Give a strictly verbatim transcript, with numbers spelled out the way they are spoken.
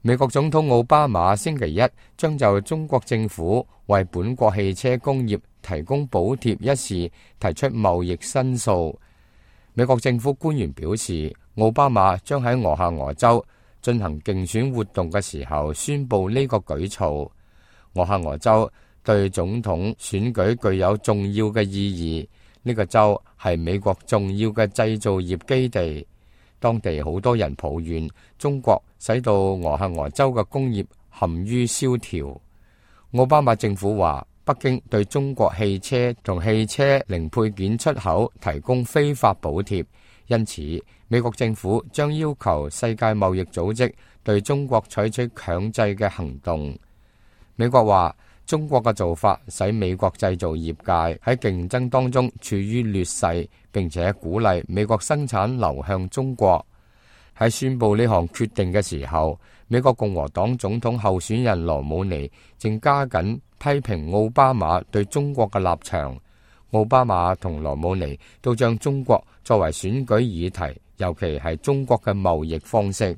美國總統奧巴馬星期一將就中國政府為本國汽車工業提供補貼一事提出貿易申訴。美國政府官員表示，奧巴馬將喺俄亥俄州進行競選活動嘅時候宣布呢個舉措。俄亥俄州對總統選舉具有重要嘅意義，呢個州係美國重要嘅製造業基地。當地好多人抱怨中國使到俄亥俄州嘅工業陷於蕭條。奧巴馬政府話，北京對中國汽車同汽車零配件出口提供非法補貼，因此美國政府將要求世界貿易組織對中國採取強制嘅行動。美國話，中國嘅做法使美國製造業界喺競爭當中處於劣勢，並且鼓勵美國生產流向中國。喺宣布呢項決定嘅時候，美國共和黨總統候選人羅姆尼正加緊批評奧巴馬對中國嘅立場。奧巴馬同羅姆尼都將中國作為選舉議題，尤其係中國嘅貿易方式。